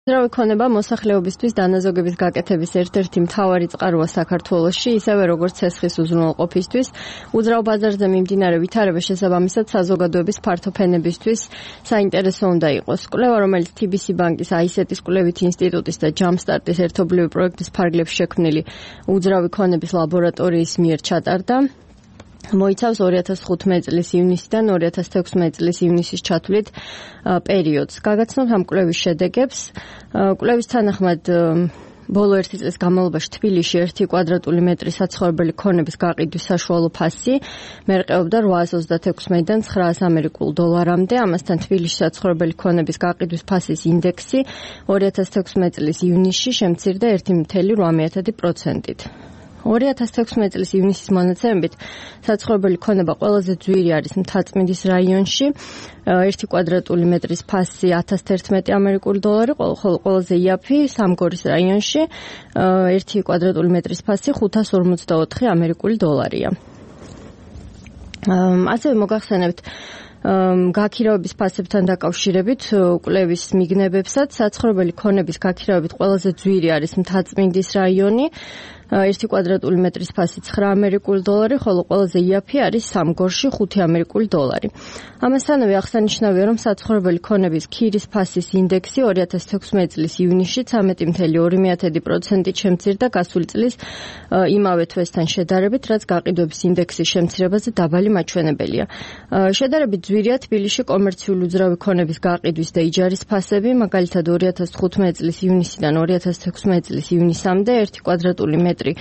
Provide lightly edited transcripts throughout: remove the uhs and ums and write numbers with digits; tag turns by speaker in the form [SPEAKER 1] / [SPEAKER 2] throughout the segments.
[SPEAKER 1] უძრავი ქონება მოსახლეობისთვის დანაზოგების გაკეთების ერთ-ერთი მთავარი წყაროა საქართველოში, ისევე როგორც ცესხის უზრუნველყოფისთვის, უძრავ ბაზარზე მიმდინარე ვითარება შესაბამისად საზოგადოების ფართო ფენებისთვის საინტერესო უნდა იყოს. კვლევა, რომელიც TBC ბანკის AICET-ის კვლევითი ინსტიტუტის და ჯამსტარტის ერთობლივი პროექტის ფარგლებში შექმნილი უძრავი ქონების ლაბორატორიის მიერ ჩატარდა. მოიცავს 2015 წლის ივნისიდან 2016 წლის ივნისის ჩათვლით პერიოდს. გაგაცნობთ ამ კვლევის შედეგებს. კვლევის თანახმად ბოლო ერთი წლის განმავლობაში თბილისში 1 კვადრატული მეტრი საცხოვრებელი ქონების გაყიდვის საშუალო ფასი მერყეობდა 826-დან 900 ამერიკულ დოლარამდე. ამასთან თბილისში საცხოვრებელი ქონების გაყიდვის ფასის ინდექსი 2016 წლის ივნისში შემცირდა 1.8%-ით. 2016 წლის ივნისის მონაცემებით საცხოვრებელი ქონება ყველაზე ძვირი არის მთაწმინდის რაიონში, 1 კვადრატული მეტრის ფასი 1011 ამერიკული დოლარი, ხოლო ყველაზე იაფი სამგორის რაიონში 1 კვადრატული მეტრის ფასი 554 ამერიკული დოლარია. ასევე მოგახსენებთ გაქირავების ფასებთან დაკავშირებით კვლევის მიგნებებსაც საცხოვრებელი ქონების გაქირავებით ყველაზე ძვირი არის მთაწმინდის რაიონი, 1 კვადრატული მეტრის ფასი 9 ამერიკული დოლარი, ხოლო ყველაზე იაფი არის სამგორში 5 ამერიკული დოლარი. ამასთანავე აღსანიშნავია, რომ საცხოვრებელი ქონების ქირის ფასის ინდექსი 2016 წლის ივნისში 13.2%-ით შემცირდა გასული წლის იმავე თვესთან შედარებით, რაც გაყიდვების ინდექსის შემცირებაზე დაბალი მაჩვენებელია. შედარებით ძვირია თბილისში კომერციული უძრავი ქონების გაყიდვის და იჯარის ფასები, მაგალითად 2015 წლის ივნისიდან 2016 წლის ივნისამდე 1 კვადრატული მეტრი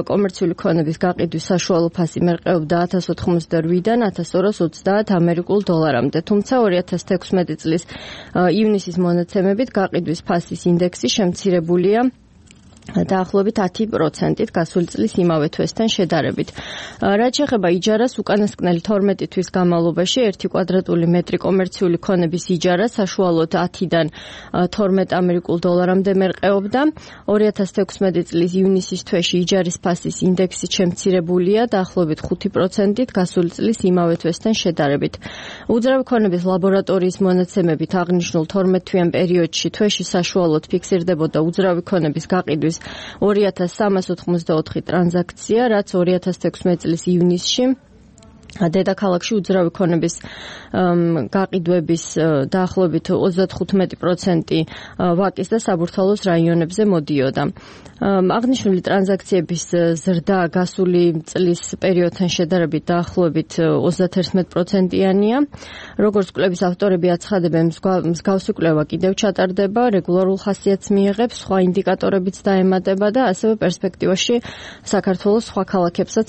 [SPEAKER 1] კომერციული ქონების გაყიდვის საშუალო ფასი მერყეობდა 1088-დან 1230 ამერიკულ დოლარამდე, თუმცა 2016 წლის ივნისის მონაცემებით გაყიდვის ფასის ინდექსი შემცირებულია დაახლოებით 10%-ით გასული წლის იმავე თვესთან შედარებით. რაც შეეხება იჯარას, უკანასკნელი 12 თვის განმავლობაში 1 კვადრატული მეტრი კომერციული ქონების იჯარა საშუალოდ 10-დან 12 ამერიკულ დოლარამდე მერყეობდა. 2016 წლის ივნისის თვეში იჯარის ფასის ინდექსი შემცირებულია დაახლოებით 5%-ით გასული წლის იმავე თვესთან შედარებით. უძრავი ქონების ლაბორატორიის მონაცემებით აღნიშნულ 12-თვიან პერიოდში თვეში საშუალოდ ფიქსირდებოდა უძრავი ქონების გაყიდვის 2384 ტრანზაქცია, რაც 2016 წლის ივნისში დედაქალაქში უძრავი ქონების გაყიდვების დაახლოებით 35% ვაკის და საბურთალოს რაიონებზე მოდიოდა. აღნიშნული ტრანზაქციების ზრდა გასული წლის პერიოდთან შედარებით დაახლოებით 31%-იანია. როგორც კვლევის ავტორები აცხადებენ, მსგავსი კვლევა კიდევ ჩატარდება, რეგულარულ ხასიათს მიიღებს, სხვა ინდიკატორებიც დაემატება და ასევე პერსპექტივაში საქართველოს სხვა ქალაქებსაც